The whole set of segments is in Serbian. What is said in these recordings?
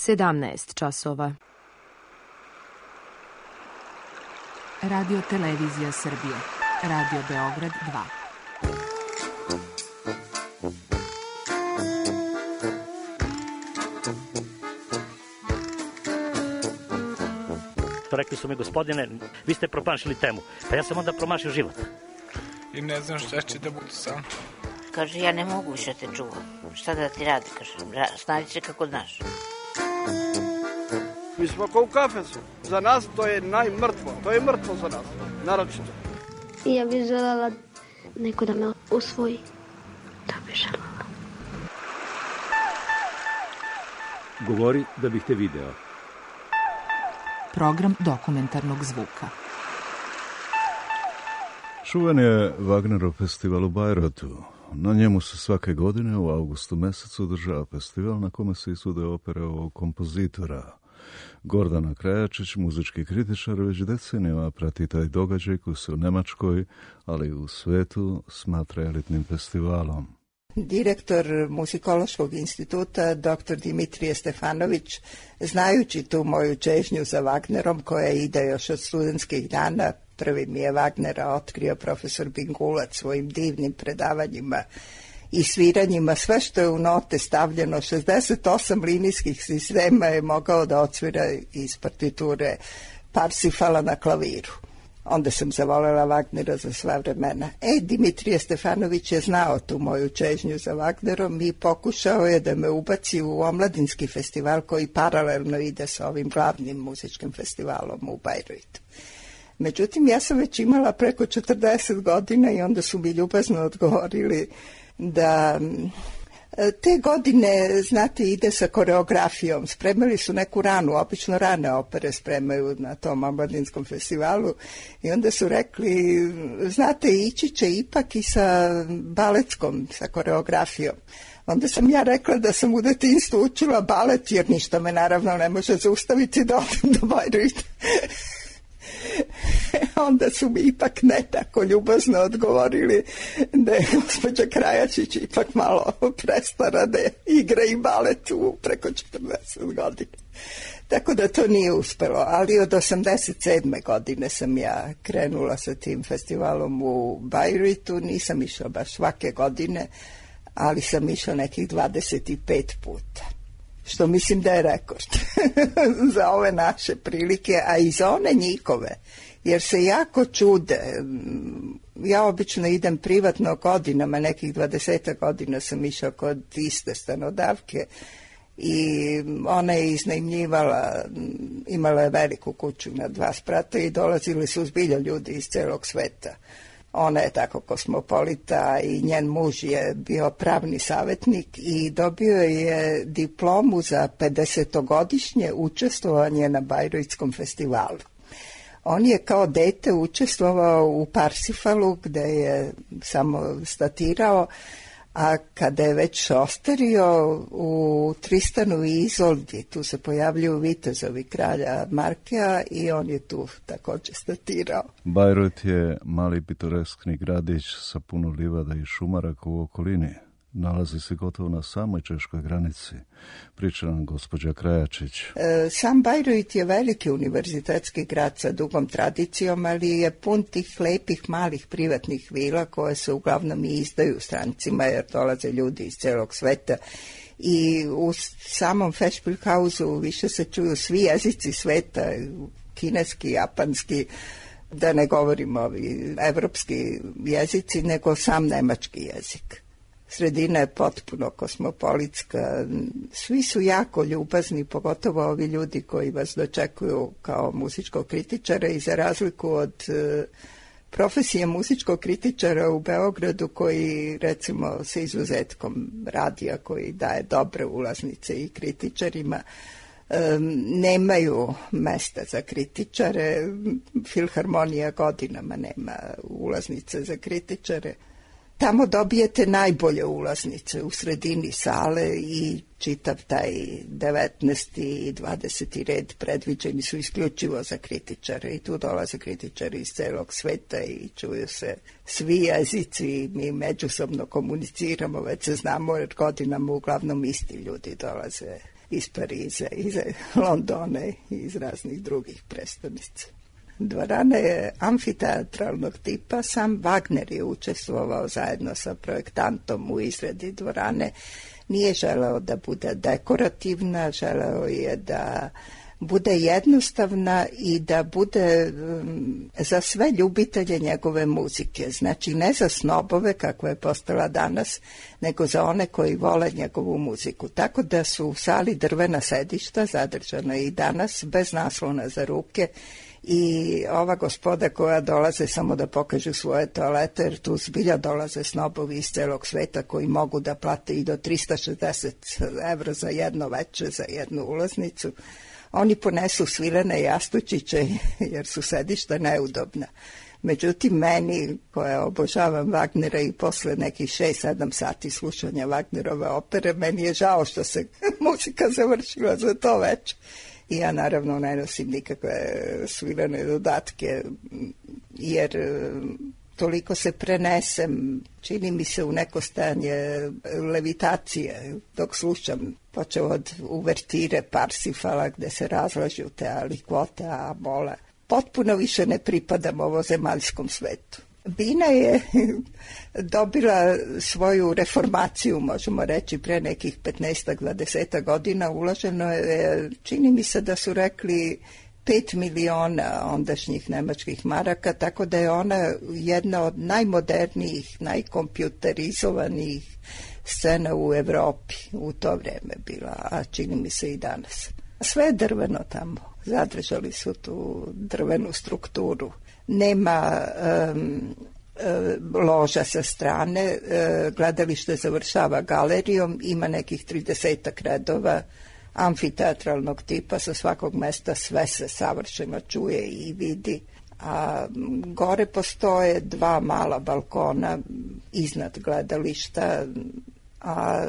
17 časova. Radio Televizija Srbije. Radio Beograd 2. Rekli su mi, gospodine, vi ste promašili temu. Pa ja sam onda promašio život. I ne znam šta će da bude sam. Kaže, ja ne mogu više te čuvam. Šta da ti radi, kaže, snađi se kako znaš. Mi smo kao u kafesu. Za nas to je najmrtvo. To je mrtvo za nas, naročito. I ja bih željela neko da me usvoji. Da bih željela. Govori da bih te video. Program dokumentarnog zvuka. Čuvan je Wagnerov festival u Bajrotu. Na njemu se svake godine u avgustu mesecu održava festival na kome se izvode opere ovog kompozitora. Gordana Krajačić, muzički kritičar, već decenijama prati taj događaj koji se u Nemačkoj, ali i u svetu smatra elitnim festivalom. Direktor Muzikološkog instituta, dr. Dimitrije Stefanović, znajući tu moju čežnju za Wagnerom, koja ide još od studentskih dana, prvi mi je Wagnera otkrio profesor Bingulac svojim divnim predavanjima i sviranjima. Sve što je u note stavljeno, 68 linijskih sistema je mogao da odsvira iz partiture Parsifala na klaviru. Onda sam zavolela Wagnera za sva vremena. Dimitrije Stefanović je znao tu moju čežnju za Wagnerom i pokušao je da me ubaci u omladinski festival koji paralelno ide sa ovim glavnim muzičkim festivalom u Bajrutu. Međutim, ja sam već imala preko 40 godina i onda su mi ljubazno odgovorili da te godine, znate, ide sa koreografijom. Spremali su neku ranu, obično rane opere spremaju na tom omladinskom festivalu i onda su rekli, znate, ići će ipak i sa baletskom, sa koreografijom. Onda sam ja rekla da sam u detinjstvu učila balet, jer ništa me naravno ne može zaustaviti da odem do Bajruta. Onda su mi ipak ne tako ljubazno odgovorili da je gospođa Krajačić ipak malo prestara da igra i balet u preko 40 godina. Tako da to nije uspelo, ali od 87. godine sam ja krenula sa tim festivalom u Bajrutu. Nisam išla baš svake godine, ali sam išla nekih 25 puta. Što mislim da je rekord za ove naše prilike, a i za one njihove, jer se jako čude. Ja obično idem privatno godinama, nekih 20 godina sam išla kod iste stanodavke i ona je iznajmljivala, imala je veliku kuću na 2 sprata i dolazili su zbilja ljudi iz celog sveta. Ona je tako kosmopolita i njen muž je bio pravni savjetnik i dobio je diplomu za 50-godišnje učestvovanje na Bajrutskom festivalu. On je kao dete učestvovao u Parsifalu gde je samo statirao, a kada je već ostario u Tristanu i Izoldi, tu se pojavljuju vitezovi kralja Markea i on je tu također statirao. Bajrut je mali pitoreskni gradić sa puno livada i šumaraka u okolini. Nalazi se gotovo na samoj češkoj granici, priča nam gospođa Krajačić. Sam Bajrut je veliki univerzitetski grad sa dugom tradicijom, ali je pun tih lepih malih privatnih vila koje se uglavnom i izdaju strancima jer dolaze ljudi iz celog sveta. I u samom Festspielhausu više se čuju svi jezici sveta, kineski, japanski, da ne govorimo ovi evropski jezici, nego sam nemački jezik. Sredina je potpuno kosmopolitska, svi su jako ljubazni, pogotovo ovi ljudi koji vas dočekuju kao muzičkog kritičara i za razliku od profesije muzičkog kritičara u Beogradu koji recimo sa izuzetkom radija koji daje dobre ulaznice i kritičarima, nemaju mesta za kritičare, Filharmonija godinama nema ulaznice za kritičare. Tamo dobijete najbolje ulaznice u sredini sale i čitav taj 19. i 20. red predviđeni su isključivo za kritičare i tu dolaze kritičari iz celog sveta i čuju se svi jezici i mi međusobno komuniciramo, već se znamo jer godinama uglavnom isti ljudi dolaze iz Pariza, iz Londona i iz raznih drugih prestolnica. Dvorana je amfiteatralnog tipa, sam Wagner je učestvovao zajedno sa projektantom u izradi dvorane. Nije želeo da bude dekorativna, želeo je da bude jednostavna i da bude za sve ljubitelje njegove muzike. Znači ne za snobove kakva je postala danas, nego za one koji vole njegovu muziku. Tako da su u sali drvena sedišta zadržana i danas bez naslona za ruke i ova gospoda koja dolaze samo da pokažu svoje toalete, jer tu zbilja dolaze snobovi iz celog sveta koji mogu da plate i do 360 evra za jedno veče, za jednu ulaznicu. Oni ponesu svilene jastučiće jer su sedišta neudobna. Međutim, meni, koja obožavam Wagnera i posle nekih 6-7 sati slušanja Wagnerove opere, meni je žao što se muzika završila za to večer. I ja naravno ne nosim nikakve svilene dodatke, jer toliko se prenesem, čini mi se u neko stanje levitacije dok slušam, počeo od uvertire Parsifala gde se razlažu te alikvote, a mola. Potpuno više ne pripadam ovozemaljskom svetu. Bina je dobila svoju reformaciju, možemo reći, pre nekih 15-20 godina. Uloženo je, čini mi se da su rekli 5 miliona ondašnjih nemačkih maraka, tako da je ona jedna od najmodernijih, najkompjuterizovanijih scena u Evropi u to vreme bila, a čini mi se i danas. Sve je drveno tamo, zadržali su tu drvenu strukturu. Nema loža sa strane, gledalište završava galerijom, ima nekih 30 redova amfiteatralnog tipa, sa svakog mesta sve se savršeno čuje i vidi. A gore postoje 2 mala balkona iznad gledališta, a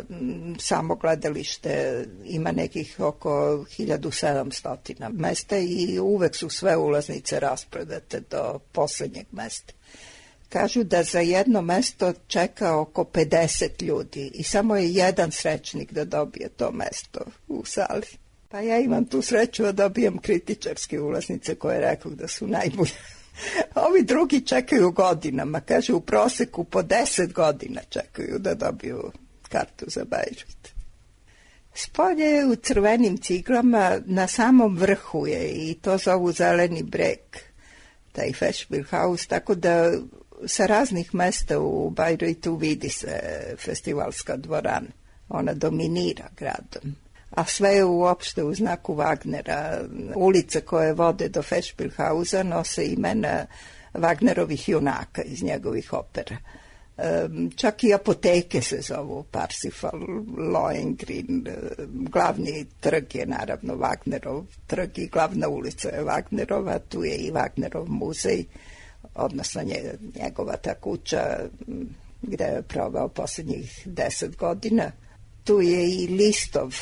samo gledalište ima nekih oko 1700 mesta i uvek su sve ulaznice rasprodate do poslednjeg mesta. Kažu da za jedno mesto čeka oko 50 ljudi i samo je jedan srećnik da dobije to mesto u sali. Pa ja imam tu sreću da dobijem kritičarske ulaznice koje rekao da su najbolje. Ovi drugi čekaju godinama, kažu u proseku po 10 godina čekaju da dobiju kartu za Bejrut. Spolje je u crvenim ciglama, na samom vrhu je i to zovu Zeleni breg, taj Festspielhaus, tako da sa raznih mesta u Bejrutu vidi se festivalska dvorana. Ona dominira gradom. A sve je uopšte u znaku Wagnera. Ulice koje vode do Festspielhausa nose imena Wagnerovih junaka iz njegovih opera. Čak i apoteke se zovu Parsifal, Lohengrin, glavni trg je naravno Wagnerov trg i glavna ulica je Wagnerova, tu je i Wagnerov muzej, odnosno njegova ta kuća gde je proveo posljednjih 10 godina. Tu je i Listov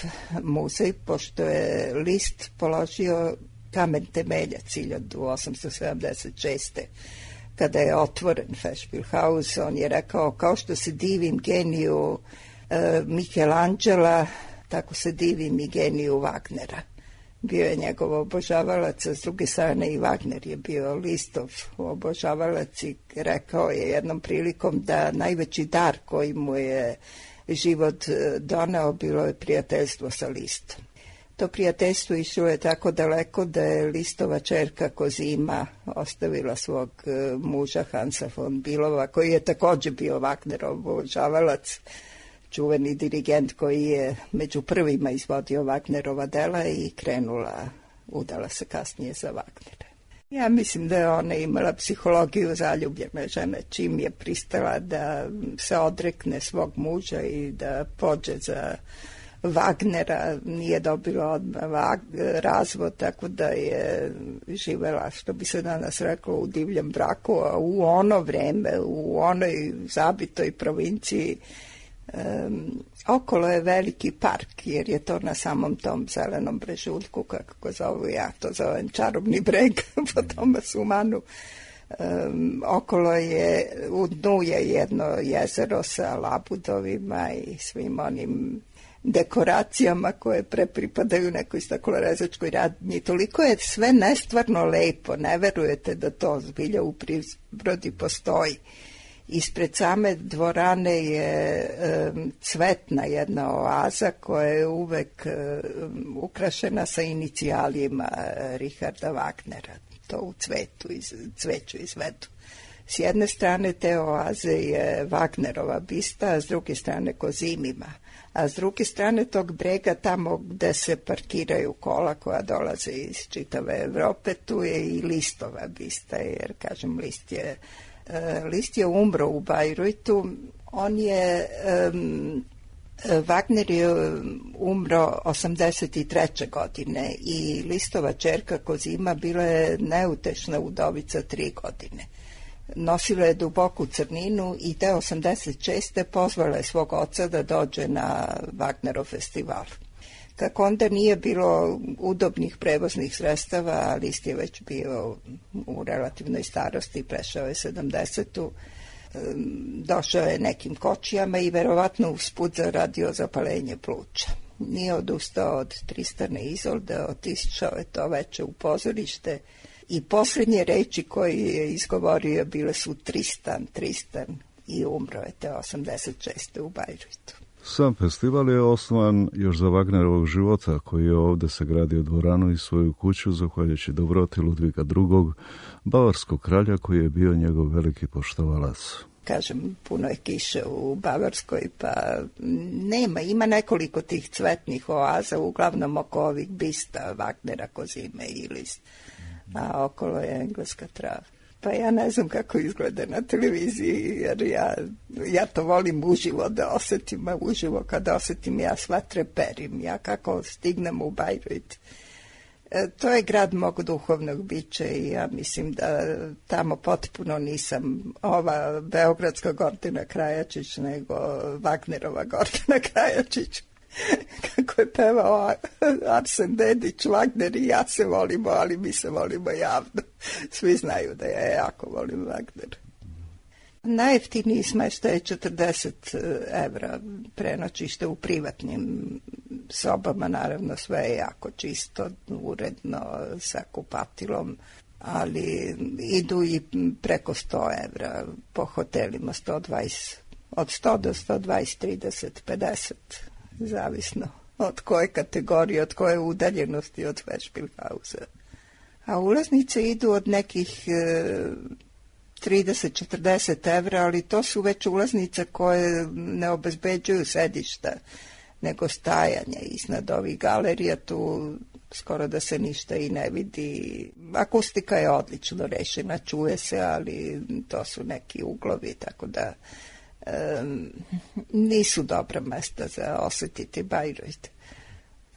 muzej, pošto je List položio kamen temeljac 1876. Kada je otvoren Festspielhaus, on je rekao, kao što se divim geniju Michelangela, tako se divim i geniju Wagnera. Bio je njegov obožavalac, a s druge strane i Wagner je bio Listov obožavalac i rekao je jednom prilikom da najveći dar koji mu je život doneo bilo je prijateljstvo sa Listom. To prijateljstvo išlo je tako daleko da je Listova ćerka Kozima ostavila svog muža Hansa von Billova, koji je također bio Wagnerov obožavalac, čuveni dirigent koji je među prvima izvodio Wagnerova dela i udala se kasnije za Wagnera. Ja mislim da je ona imala psihologiju zaljubljene žene, čim je pristala da se odrekne svog muža i da pođe za Wagnera, nije dobila odmah razvod, tako da je živela, što bi se danas reklo, u divljem braku, a u ono vreme, u onoj zabitoj provinciji, okolo je veliki park, jer je to na samom tom zelenom brežuljku, kako ga zovu, ja to zovem čarobni breg po Tomasu Manu. Okolo je, u dnu je jedno jezero sa labudovima i svim onim dekoracijama koje pripadaju nekoj staklorezačkoj radnji. Toliko je sve nestvarno lepo, ne verujete da to zbilja u prirodi postoji. Ispred same dvorane je cvetna jedna oaza koja je uvek ukrašena sa inicijalima Richarda Wagnera. To u cveću izvedu. S jedne strane te oaze je Wagnerova bista, a s druge strane Kozimima. A s druge strane tog brega, tamo gde se parkiraju kola koja dolaze iz čitave Evrope, tu je i Listova bista, jer, kažem, List je umro u Bajrutu. Wagner je umro 83. godine i Listova ćerka Kozima bila je neutešna udovica 3 godine. Nosila je duboku crninu i te 86. pozvala je svog oca da dođe na Wagnerov festival. Kako onda nije bilo udobnih prevoznih sredstava, a List je već bio u relativnoj starosti, prešao je 70. Došao je nekim kočijama i verovatno usput zaradio zapalenje pluća. Nije odustao od Tristana i Izolde, otišao je to veče u pozorište i posljednje reči koje je izgovorio bile su Tristan i umro je te 86. u Bajrutu. Sam festival je osnovan još za Wagnerovog života, koji je ovdje sagradio dvoranu i svoju kuću zahvaljujući dobroti Ludviga II, bavarskog kralja koji je bio njegov veliki poštovalac. Kažem, puno je kiše u Bavarskoj, pa ima nekoliko tih cvetnih oaza, uglavnom oko ovih bista Wagnera, Kozime i List, a okolo je engleska trava. Pa ja ne znam kako izgleda na televiziji, jer ja to volim uživo da osetim, a uživo kad osetim ja sva treperim, ja kako stignem u Bajrut. To je grad mog duhovnog bića i ja mislim da tamo potpuno nisam ova beogradska Gordana Krajačić, nego Wagnerova Gordana Krajačić. Kako je pevao Arsen Dedić, Wagner i ja se volimo, ali mi se volimo javno. Svi znaju da ja jako volim Wagner. Najjeftiniji smeštaj je 40 evra prenoćište u privatnim sobama, naravno sve je jako čisto, uredno, sa kupatilom, ali idu i preko 100 evra po hotelima, 120, od 100 do 120, 30, 50, zavisno od koje kategorije, od koje udaljenosti od Vešpilhausa. A ulaznice idu od nekih 30-40 evra, ali to su već ulaznice koje ne obezbeđuju sedišta, nego stajanje iznad ovih galerija, tu skoro da se ništa i ne vidi. Akustika je odlično rešena, čuje se, ali to su neki uglovi, tako da nisu dobra mesta za osetiti Bajrut.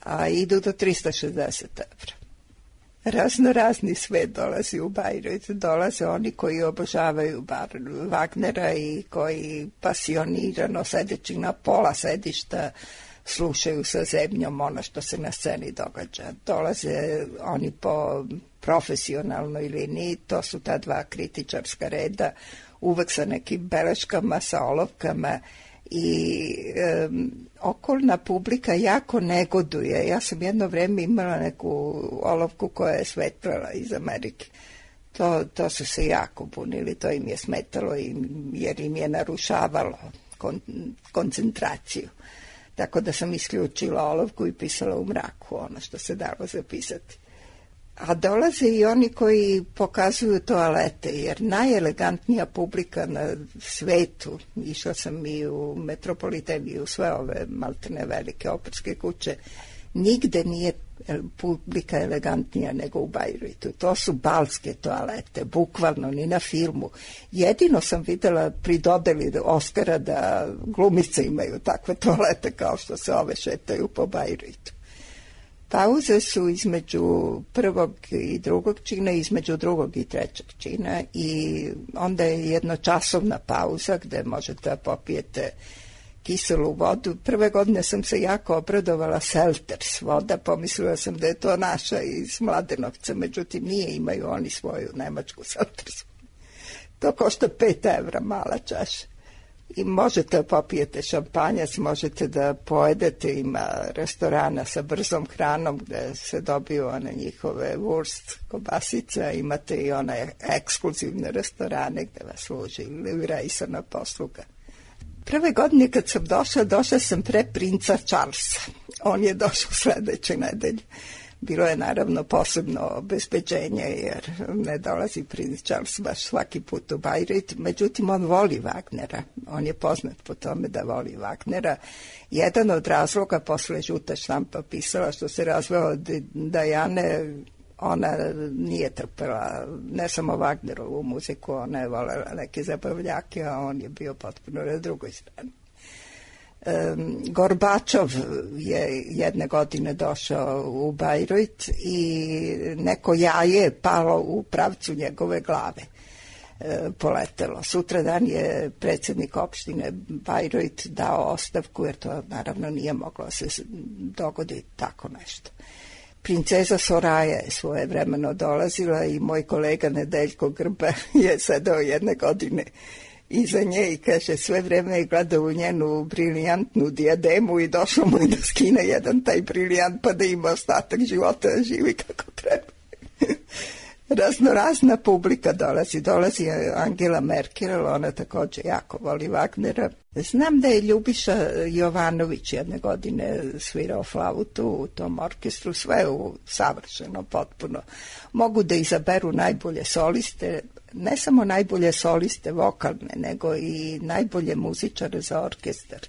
A idu do 360 evra. Razni svet dolazi u Bajrut. Dolaze oni koji obožavaju Wagnera i koji pasionirano sedeći na pola sedišta slušaju sa zemljom ono što se na sceni događa. Dolaze oni po profesionalnoj liniji, to su ta dva kritičarska reda, uvek sa nekim beleškama, sa olovkama i okolna publika jako negoduje. Ja sam jedno vreme imala neku olovku koja je svetlala iz Amerike. To su se jako bunili, to im je smetalo jer im je narušavalo koncentraciju. Tako da sam isključila olovku i pisala u mraku ono što se dalo zapisati. A dolaze i oni koji pokazuju toalete, jer najelegantnija publika na svetu, išla sam i u Metropoliten i u sve ove maltene velike operske kuće, nigde nije publika elegantnija nego u Bajrutu. To su balske toalete, bukvalno, ni na filmu. Jedino sam videla pri dodeli Oskara da glumice imaju takve toalete kao što se ove šetaju po Bajrutu. Pauze su između prvog i drugog čina, između drugog i trećeg čina i onda je jednočasovna pauza gde možete da popijete kiselu vodu. Prve godine sam se jako obradovala Selters voda, pomislila sam da je to naša iz Mladenovca, međutim nije, imaju oni svoju nemačku Selters. To košta 5 evra mala čaša. I možete popijete šampanjac, možete da pojedete, ima restorana sa brzom hranom gde se dobiju one njihove wurst, kobasice, imate i one ekskluzivne restorane gde vas služi livrejsana posluga. Prve godine kad sam došla sam pre princa Charlesa. On je došao sledeće nedelje. Bilo je naravno posebno obezbeđenje jer ne dolazi princ Charles baš svaki put u Bayreuth, međutim on voli Wagnera, on je poznat po tome da voli Wagnera. Jedan od razloga, posle žuta štampa pisala što se razveo od Dajane, ona nije trpela ne samo Wagnerovu muziku, ona je volela neke zabavljake, a on je bio potpuno na drugoj strani. Gorbačov je jedne godine došao u Bayreuth i neko jaje je palo u pravcu njegove glave, poletelo. Sutradan je predsjednik opštine Bayreuth dao ostavku jer to naravno nije moglo se dogoditi tako nešto. Princeza Soraja je svojevremeno dolazila i moj kolega Nedeljko Grba je sedao jedne godine iza nje i kaže sve vreme je gledao u njenu briljantnu dijademu i došlo mu i da skine jedan taj briljant pa da ima ostatak života da živi kako treba. Raznorazna publika dolazi Angela Merkel, ona također jako voli Wagnera. Znam da je Ljubiša Jovanović jedne godine svirao flautu u tom orkestru, sve savršeno, potpuno. Mogu da izaberu najbolje soliste, ne samo najbolje soliste vokalne, nego i najbolje muzičare za orkestar.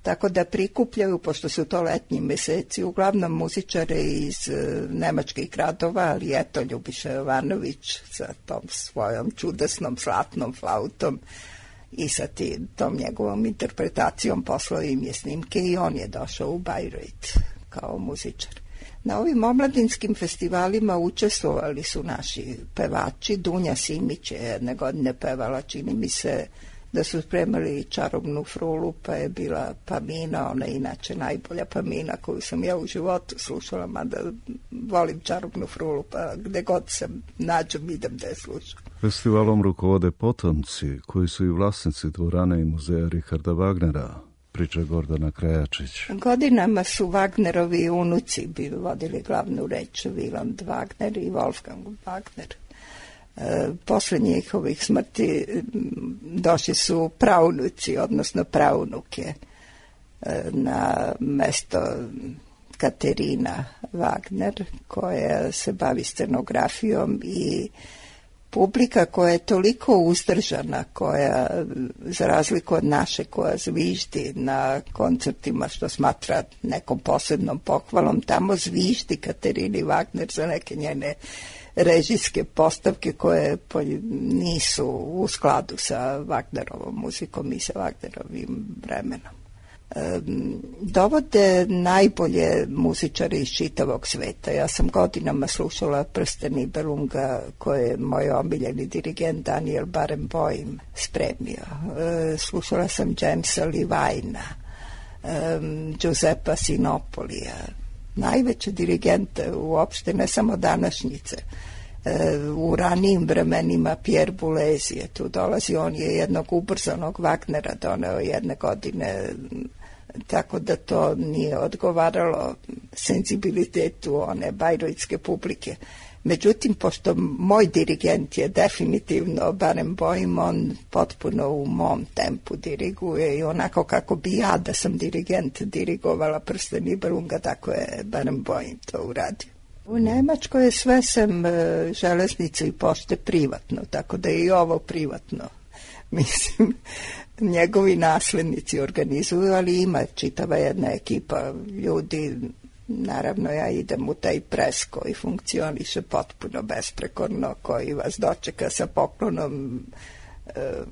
Tako da prikupljaju, pošto su to letnji meseci, uglavnom muzičare iz nemačkih gradova, ali eto Ljubiša Jovanović sa tom svojom čudesnom zlatnom flautom i sa tom njegovom interpretacijom poslao im je snimke i on je došao u Bayreuth kao muzičar. Na ovim omladinskim festivalima učestvovali su naši pevači. Dunja Simić je jedne godine pevala, čini mi se da su spremali Čarobnu frulu, pa je bila Pamina, ona je inače najbolja Pamina koju sam ja u životu slušala, mada volim Čarobnu frulu, pa gde god se nađem idem da je slušam. Festivalom rukovode potomci, koji su i vlasnici dvorane i muzeja Richarda Wagnera, priča Gordana Krajačić. Godinama su Wagnerovi unuci vodili glavnu reč, Wieland Wagner i Wolfgang Wagner. Posle njihovih smrti došli su praunuci, odnosno praunuke na mesto Katerina Wagner, koja se bavi scenografijom i publika koja je toliko uzdržana, koja, za razliku od naše, koja zviždi na koncertima, što smatra nekom posebnom pohvalom, tamo zviždi Katerini Wagner za neke njene režijske postavke koje nisu u skladu sa Wagnerovom muzikom i sa Wagnerovim vremenom. Dovode najbolje muzičare iz čitavog sveta. Ja sam godinama slušala Prsten Nibelunga, koje je moj omiljeni dirigent Daniel Barenboim spremio. Slušala sam Jamesa Levina, Giuseppa Sinopolija, najveće dirigente uopšte, ne samo današnjice. U ranijim vremenima Pierre Boulez je tu dolazi, on je jednog ubrzanog Wagnera doneo jedne godine, tako da to nije odgovaralo senzibilitetu one bajrojtske publike. Međutim, pošto moj dirigent je definitivno Barenboim, on potpuno u mom tempu diriguje i onako kako bi ja da sam dirigent dirigovala Prsten Nibelunga, tako je Barenboim to uradio. U Nemačkoj je sve sem železnice i pošte privatno, tako da je i ovo privatno. Mislim, njegovi naslednici organizuju, ali ima čitava jedna ekipa ljudi. Naravno, ja idem u taj pres koji funkcioniše potpuno besprekorno, koji vas dočeka sa poklonom,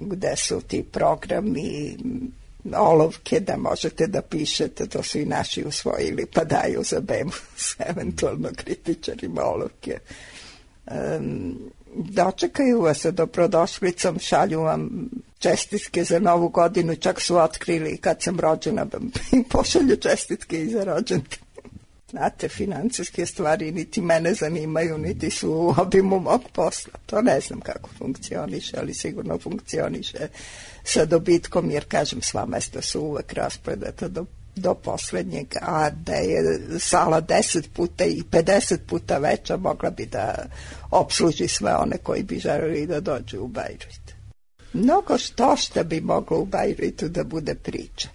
gde su ti programi, olovke da možete da pišete, to su i naši usvojili, pa daju za bemu s eventualno kritičarima olovke. Dočekaju vas sa dobrodošlicom, šalju vam čestitke za Novu godinu, čak su otkrili kad sam rođena, pošalju čestitke i za rođendan. Znate, financijske stvari niti mene zanimaju, niti su u obimu mog posla. To ne znam kako funkcioniše, ali sigurno funkcioniše sa dobitkom, jer kažem, sva mesta su uvek raspredata do poslednjeg, a da je sala 10 puta i 50 puta veća, mogla bi da opsluži sve one koji bi želeli da dođu u Bajrut. Mnogo što bi moglo u Bajrutu da bude priča.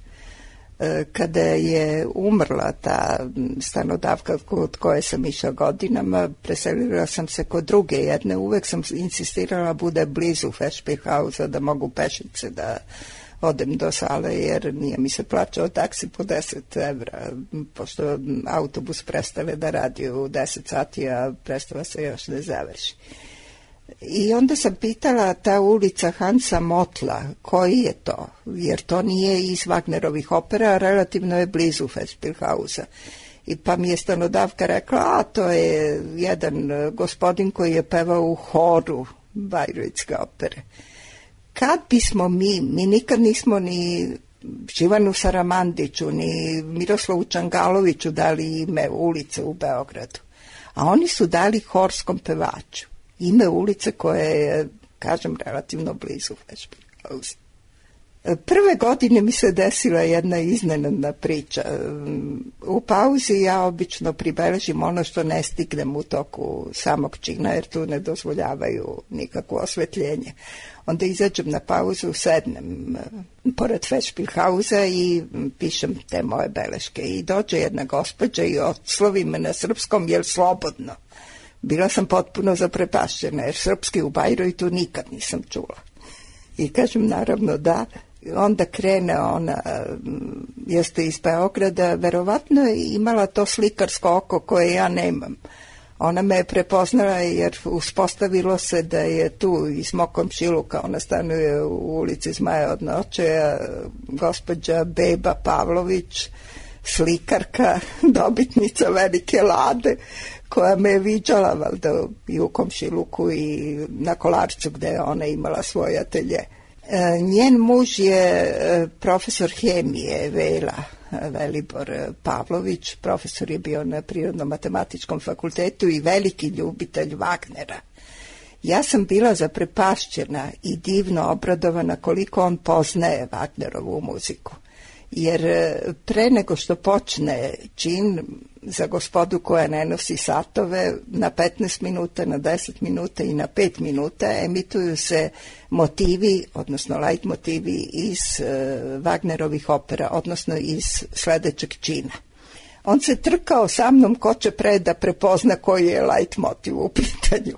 Kada je umrla ta stanodavka kod koje sam išla godinama, preselila sam se kod druge jedne. Uvek sam insistirala bude blizu Festspielhausa, da mogu pešice da odem do sale, jer nije mi se plaćao taksi po 10 evra, pošto autobus prestane da radi u 10 sati, a predstava se još ne završi. I onda sam pitala, ta ulica Hansa Motla, koji je to? Jer to nije iz Wagnerovih opera, relativno je blizu Festspielhausa. I pa mi je stanodavka rekla, a to je jedan gospodin koji je pevao u horu Bajrutske opere. Kad bismo mi nikad nismo ni Živanu Saramandiću, ni Miroslavu Čangaloviću dali ime ulice u Beogradu, a oni su dali horskom pevaču ime ulice koje je, kažem, relativno blizu Festspielhausa. Prve godine mi se desila jedna iznenadna priča. U pauzi ja obično pribeležim ono što ne stignem u toku samog čina, jer tu ne dozvoljavaju nikakvo osvetljenje. Onda izađem na pauzu, sednem pored Festspielhausa i pišem te moje beleške. I dođe jedna gospođa i odslovi me na srpskom, jel slobodno? Bila sam potpuno zaprepašćena, jer srpski u Bajrutu nikad nisam čula. I kažem, naravno da. Onda krene ona, jeste iz Beograda, verovatno je imala to slikarsko oko koje ja nemam. Ona me je prepoznala jer uspostavilo se da je tu iz mog komšiluka, ona stanuje u ulici Zmaja od noće, gospođa Beba Pavlović, slikarka, dobitnica Velike Lade, koja me je viđala valjda i u komšiluku i na Kolarcu gde je ona imala svoj atelje. Njen muž je profesor hemije Vela Velibor Pavlović, profesor je bio na Prirodno-matematičkom fakultetu i veliki ljubitelj Wagnera. Ja sam bila zaprepašćena i divno obradovana koliko on poznaje Wagnerovu muziku. Jer pre nego što počne čin, za gospodu koja ne nosi satove, na 15 minuta, na 10 minuta i na 5 minuta emituju se motivi, odnosno light motivi iz Wagnerovih opera, odnosno iz sledećeg čina. On se trkao sa mnom ko će pre da prepozna koji je light motiv u pitanju.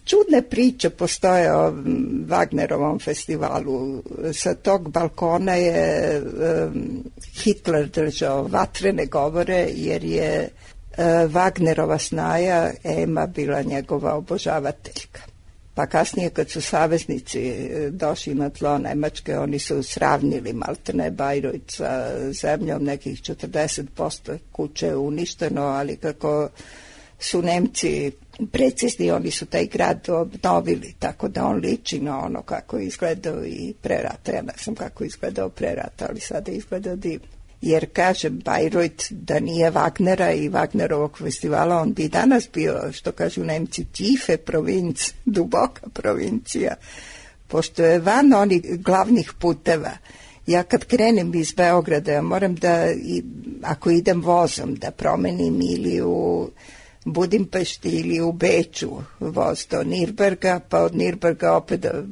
Čudne priče postoje o Wagnerovom festivalu. Sa tog balkona je Hitler držao vatrene govore, jer je Wagnerova snaja Ema bila njegova obožavateljka. Pa kasnije kad su saveznici došli na tlo Nemačke, oni su sravnili maltene Bajrut sa zemljom, nekih 40% kuće je uništeno, ali kako su Nemci precizni, oni su taj grad obnovili, tako da on liči na ono kako je izgledao i pre rata. Ja ne znam kako je izgledao pre rata, ali sada je izgledao divno. Jer, kažem, Bajrut, da nije Wagnera i Wagnerovog festivala, on bi danas bio, što kažu Nemci, tiefe provinc, duboka provincija, pošto je van onih glavnih puteva. Ja kad krenem iz Beograda, ja moram da, ako idem vozom, da promenim ili u Budimpešti ili u Beču voz do Nirnberga, pa od Nirnberga opet da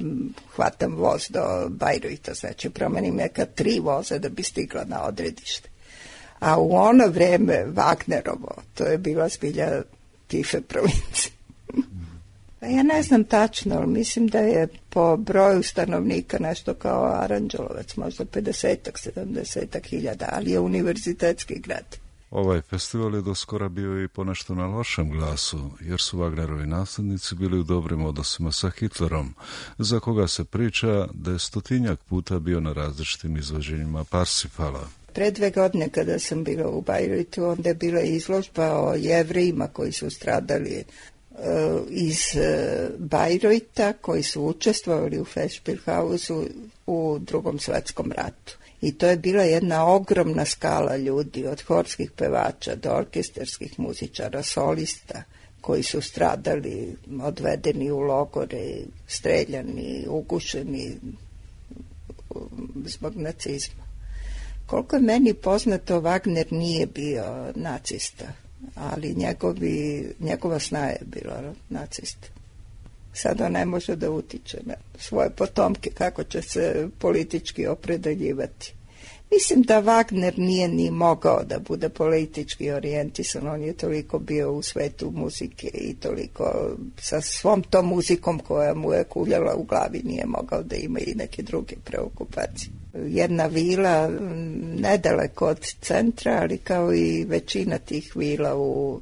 hvatam voz do Bajruta, znači promenim neka 3 voza da bi stigla na odredište. A u ono vreme Wagnerovo, to je bila zbilja tife provincije. Ja ne znam tačno, ali mislim da je po broju stanovnika nešto kao Aranđelovac, možda 50-ak, 70-ak hiljada, ali je univerzitetski grad. Ovaj festival je doskora bio i ponešto na lošem glasu, jer su Wagnerovi naslednici bili u dobrim odnosima sa Hitlerom, za koga se priča da je 100-tinjak puta bio na različitim izvođenjima Parsifala. Pre 2 godine kada sam bila u Bajrutu, onda je bila izložba o Jevrejima koji su stradali iz Bajruta, koji su učestvovali u Festspielhausu u Drugom svetskom ratu. I to je bila jedna ogromna skala ljudi, od horskih pevača do orkestarskih muzičara, solista, koji su stradali, odvedeni u logore, streljani, ugušeni zbog nacizma. Koliko je meni poznato, Wagner nije bio nacista, ali njegova snaga je bila nacista. Sada ne može da utiče na svoje potomke kako će se politički opredeljivati. Mislim da Wagner nije ni mogao da bude politički orijentisan, on je toliko bio u svetu muzike i toliko sa svom tom muzikom koja mu je kuljala u glavi nije mogao da ima i neke druge preokupacije. Jedna vila nedaleko od centra, ali kao i većina tih vila u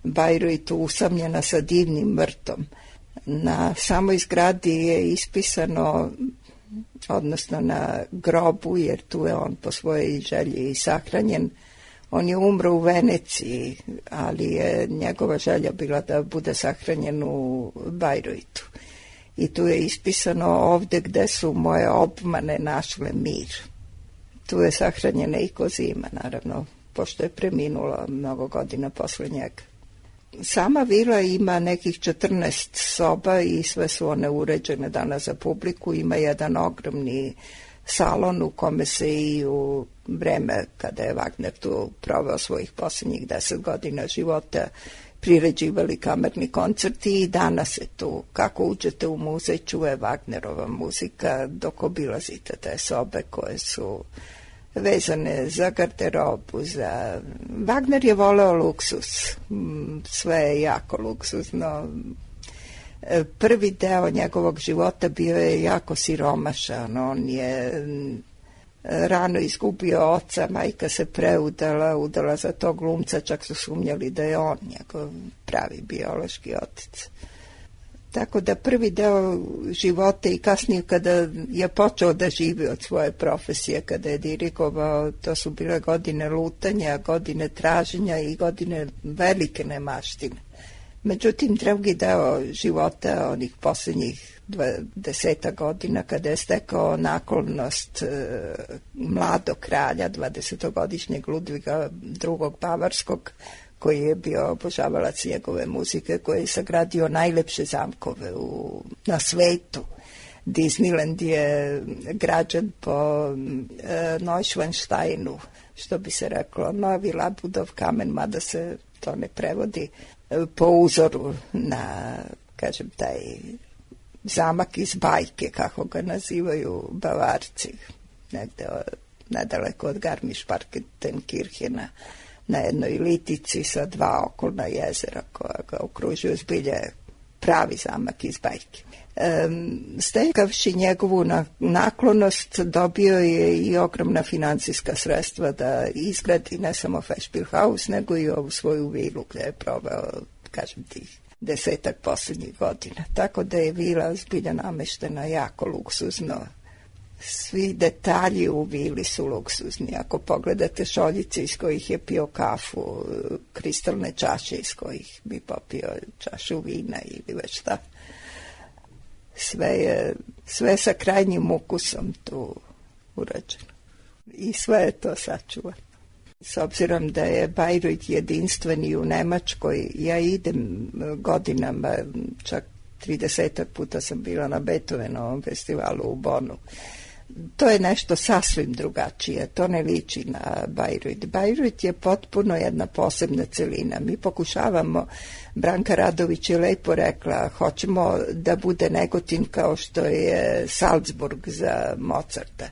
Bajruitu usamljena sa divnim vrtom. Na samoj zgradi je ispisano, odnosno na grobu, jer tu je on po svojoj želji i sahranjen. On je umro u Veneciji, ali je njegova želja bila da bude sahranjen u Bajruitu. I tu je ispisano: ovde gde su moje obmane našle mir. Tu je sahranjena i Kozima, naravno, pošto je preminula mnogo godina posle njega. Sama vila ima nekih 14 soba i sve su one uređene danas za publiku. Ima jedan ogromni salon u kome se i u vreme kada je Wagner tu proveo svojih posljednjih 10 godina života priređivali kamerni koncerti i danas se tu, kako uđete u muzej, čuje Wagnerova muzika dok obilazite te sobe koje su vezane za garderobu, Wagner je voleo luksus, sve je jako luksuzno. Prvi deo njegovog života bio je jako siromašan, on je rano izgubio oca, majka se udala za tog glumca, čak su sumnjali da je on njegov pravi biološki otac. Tako da prvi deo života i kasnije kada je počeo da živi od svoje profesije, kada je dirigovao, to su bile godine lutanja, godine traženja i godine velike nemaštine. Međutim, drugi deo života, onih posljednjih 20 godina, kada je stekao naklonost mladog kralja, 20-godišnjeg Ludviga II. Bavarskog, koji je bio obožavalac njegove muzike, koji je sagradio najlepše zamkove na svetu. Disneyland je građen po Neuschwansteinu, što bi se reklo Novi Labudov kamen, mada se to ne prevodi, po uzoru na, kažem, taj zamak iz bajke, kako ga nazivaju Bavarci, negde nedaleko od Garmisch-Partenkirchena, na jednoj litici sa 2 okolna jezera koja ga okružuju, zbilje pravi zamak iz bajke. Stekavši njegovu naklonost, dobio je i ogromna financijska sredstva da izgradi ne samo Festspielhaus, nego i ovu svoju vilu gde je proveo, kažem, tih 10 posljednjih godina. Tako da je vila zbilja nameštena jako luksuzno. Svi detalji u vili su luksuzni. Ako pogledate šoljice iz kojih je pio kafu, kristalne čaše iz kojih bi popio čašu vina ili već šta, sve sa krajnjim ukusom tu urađeno. I sve je to sačuvano. S obzirom da je Bajruit jedinstven i u Nemačkoj, ja idem godinama, čak 30 puta sam bila na Beethovenovom festivalu u Bonu. To je nešto sasvim drugačije, to ne liči na Bajruit. Bajruit je potpuno jedna posebna celina. Mi pokušavamo, Branka Radović je lepo rekla, hoćemo da bude Negotin kao što je Salzburg za Mozarta.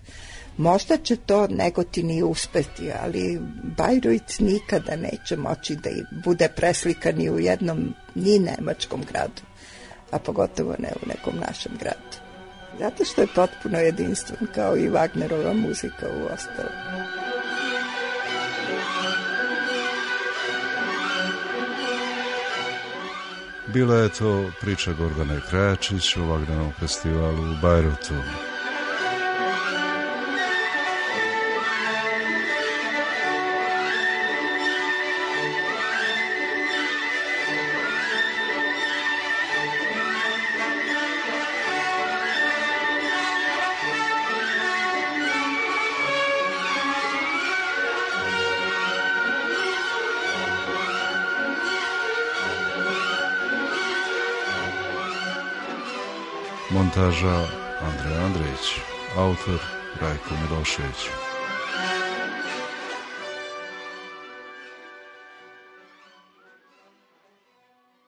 Možda će to Negotin i uspeti, ali Bajruit nikada neće moći da bude preslikan ni u jednom, ni nemačkom gradu, a pogotovo ne u nekom našem gradu. Zato što je potpuno jedinstven, kao i Wagnerova muzika u ostalom. Bila je to priča Gordane Krajačić o Wagnerovom festivalu u Bajrutu. Montaža Andrej Andrejić. Autor Rajko Milošević.